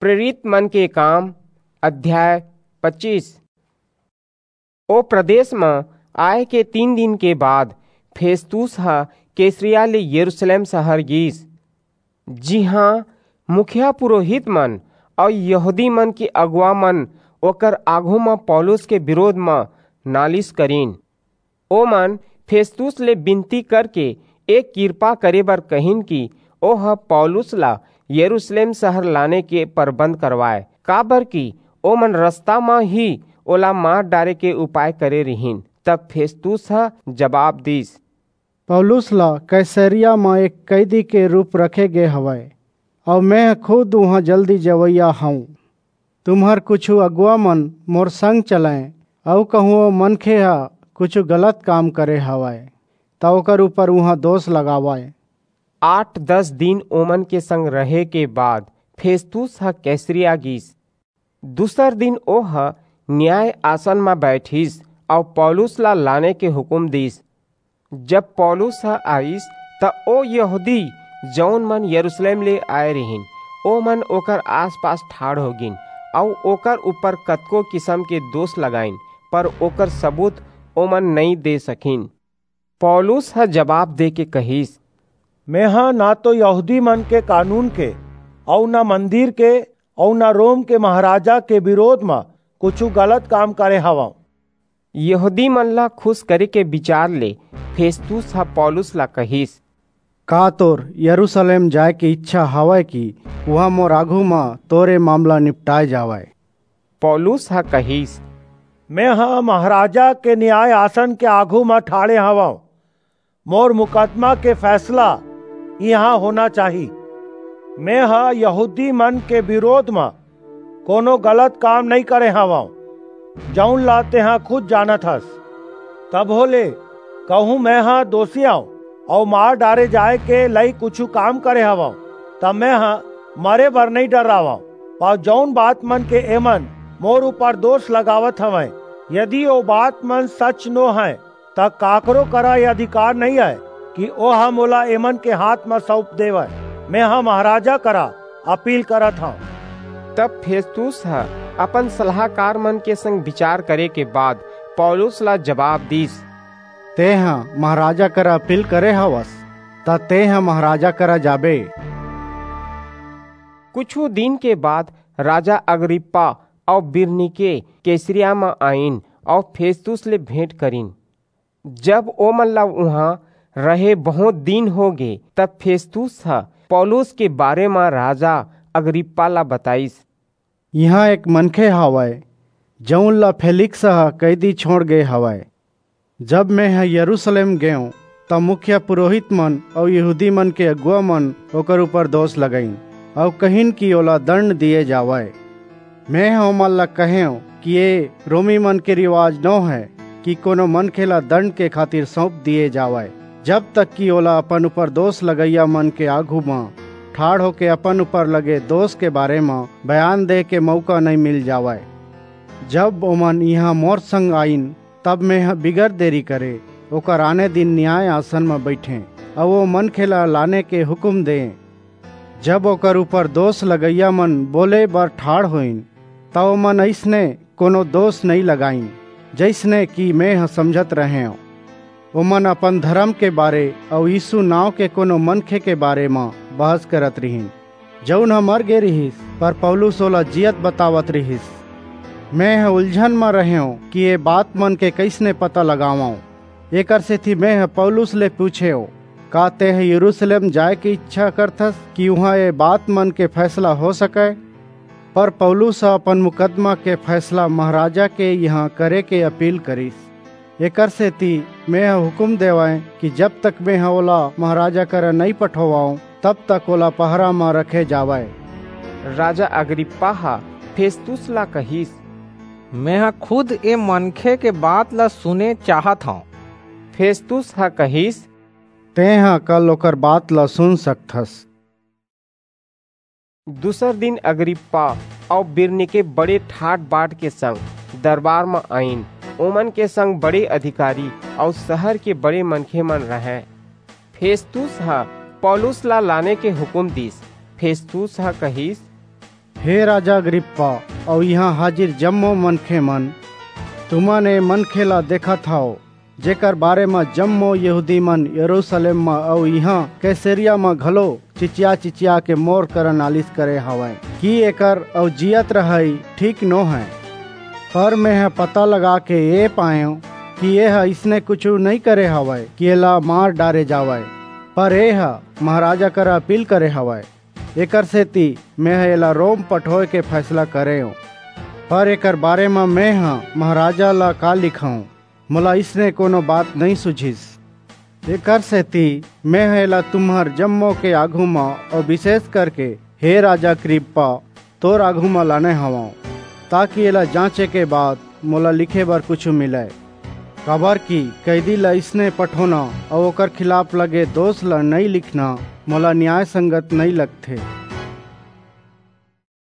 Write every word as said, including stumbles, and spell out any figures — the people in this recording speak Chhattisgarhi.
प्रेरित मन के काम, अध्याय पच्चीस। ओ प्रदेश म आए के तीन दिन के बाद फेस्तुस ह कैसरिया ले यरूशलेम शहर गीस, जिहां मुखिया पुरोहित मन अऊ यहूदी मन के अगुवा मन ओकर आघू म पौलुस के विरोध म नालिश करिन। ओमन फेस्तुस ले बिनती करके ए किरपा करे बर कहिन कि ओह पौलुस ला यरूशलेम शहर लाने के परबंध करवाए, काबरकि ओमन रस्ता म ही ओला मार डारे के उपाय करे रिहिन। तब फेस्तुस ह जबाब दीस, पौलुस ला कैसरिया म एक कैदी के रूप रखे गे हवय, अऊ मेंह खुद उहां जल्दी जवइया हंव। तुम्हर कुछू अगुवा मन मोर संग चलंय, अऊ कहूं ओ मनखे ह कुछू गलत काम करे हवय, त ओकर ऊपर उहां दोष लगावय। आठ दस दिन ओमन के संग रहे के बाद फेस्तुस ह कैसरिया गीस। दूसर दिन ओह न्याय आसन म बैठिस अऊ पौलुस ला लाने के हुकम दीस। जब पौलुस ह आईस, त ओ यहूदी, जऊन मन यरूशलेम ले आए रिहिन, ओमन ओकर आसपास ठाढ़ हो गिन अऊ ओकर ऊपर कतको किसम के दोष लगाइन, पर ओकर सबूत ओमन नइं दे सकिन। पौलुस ह जबाब देके कहिस, मेंह ना तो यहूदी मन के कानून के, अऊ ना मंदिर के, अऊ ना रोम के महाराजा के विरोध म कुछू गलत काम करे हवंव। यहूदी मन ला खुश करे के विचार ले फेस्तुस ह पौलुस ला कहिस, का तोर यरूशलेम जाए के इच्छा हवय कि उहां मोर आघू म तोर ए मामला निपटाए जावय? पौलुस ह कहिस, मेंह महाराजा के न्याय आसन के आघू म ठाढ़े हवंव। मोर मुकदमा के फैसला इहां होना चाही। मेंह यहूदी मन के विरोध म कोनो गलत काम नइं करे हवंव, जऊन ला तेंह खुद जानत हस। तभो ले कहूं मेंह दोषी अंव अऊ मार डारे जाए के लइक कुछू काम करे हवंव, त मेंह मरे बर नइं डर्रावंव। अऊ जऊन बात मन के एमन मोर ऊपर दोष लगावत हवंय, यदि ओ बात मन सच नो हंय, त काकरो करा ए अधिकार नइं अय कि ओह मोला एमन के हांथ म सऊंप देवय। मेंह महाराजा करा अपील करत हंव। तब फेस्तुस ह अपन सलाहकार मन के संग बिचार करे के बाद पौलुस ला जबाब दीस, तेंह महाराजा करा अपील करे हवस, त तेंह महाराजा करा जाबे। कुछू दिन के बाद राजा अग्रिप्पा अऊ बिरनीके कैसरिया म आईन अऊ फेस्तुस ले भेंट करिन। जब ओमन ला उहां रहे बहुंत दिन हो गे, तब फेस्तुस ह पौलुस के बारे म राजा अग्रिप्पा ला बताईस, इहां एक मनखे हवय, जऊन ला फेलिक्स ह कैदी छोंड़ गे हवय। जब मेंह यरूशलेम गेंव, त मुखिया पुरोहित मन अऊ यहूदी मन के अगुवा मन ओकर ऊपर दोष लगाईन, अऊ कहिन कि ओला दंड दिये जावय। मेंह ओमन ला कहेंव कि ए रोमी मन के रिवाज नो हय कि कोनो मनखे ला दंड के खातिर सऊंप दिये जावय, जब तक कि ओला अपन ऊपर दोष लगइया मन के आघू म ठाढ़ होके अपन ऊपर लगे दोष के बारे म बयान दे के मऊका नइं मिल जावय। जब ओमन इहां मोर संग आईन, तब मेंह बिगर देरी करे ओकर आने दिन न्याय आसन म बईठेंव अऊ ओ मनखे ला लाने के हुकम देंव। जब ओकर ऊपर दोष लगइया मन बोले बर ठाढ़ होइन, त ओमन अइसने कोनो दोष नइं लगाईन, जइसने कि मेंह समझत रहेंव। ओमन अपन धरम के बारे अऊ यीसू नांव के कोनो मनखे के बारे म बहस करत रिहिन, जऊन ह मर गे रिहिस, पर पौलुस ओला जीयत बतावत रिहिस। मेंह उलझन म रहेंव कि ए बात मन के कइसने पता लगावंव। एकरसेति मेंह पौलुस ले पूछेंव, का तेंह यरूसलेम जाय के इच्छा करथस कि उहां ए बात मन के फैसला हो सकय? पर पौलुस ह अपन मुकदमा के फैसला महाराजा के इहां करे के अपील करिस। एकरसेति मेंह हुकूम देवंय कि जब तक मेंह ओला महाराजा करा नइं पठोवंव, तब तक ओला पहरा म रखे जावय। राजा अग्रिप्पा ह फेस्तुस ला कहिस, मेंह खुद ए मनखे के बात ला सुने चाहत हंव। फेस्तुस ह कहिस, तेंह कल ओकर बात ला सुन सकथस। दूसर दिन अग्रिप्पा अऊ बिरनीके बड़े ठाट-बाट के संग दरबार म आईन। ओमन के संग बड़े अधिकारी अऊ सहर के बड़े मनखे मन रहंय। फेस्तुस ह पौलुस ला लाने के हुकूम दीस। फेस्तुस ह कहिस, हे राजा अग्रिप्पा अउ इहां हाजिर जम्मो मनखे मन, तुमन ए मनखे ला देखत हव, जेकर बारे म जम्मो यहूदी मन यरूशलेम म अउ इहां कैसरिया म घलो चिचिया चिचिया के मोर करा नालिश करे हवंय कि एकर अउ जियत रहई ठीक नो हय। पर मेंह पता लगा के ए पायेंव कि एह इसने कुछू नइं करे हवय कि एला मार डारे जावय, पर एह महाराजा करा अपील करे हवय। एकर सेती मेंह एला रोम पठोय के फैसला करेंव। पर एकर बारे म मेंह महाराजा ला का लिखंव? मोला इसने कोनो बात नइं सुझिस। एकर सेती मेंह एला तुम्हर जम्मो के आघू म अउ विशेष करके हे राजा अग्रिप्पा, तोर आघू म लाने हवंव, ताकि एला जांचे के बाद मोला लिखे बर कुछू मिलय। काबर कि कैदी ला इसने पठोना अउ ओकर खिलाफ लगे दोष ला नइं लिखना मोला न्याय संगत नइं लगथे।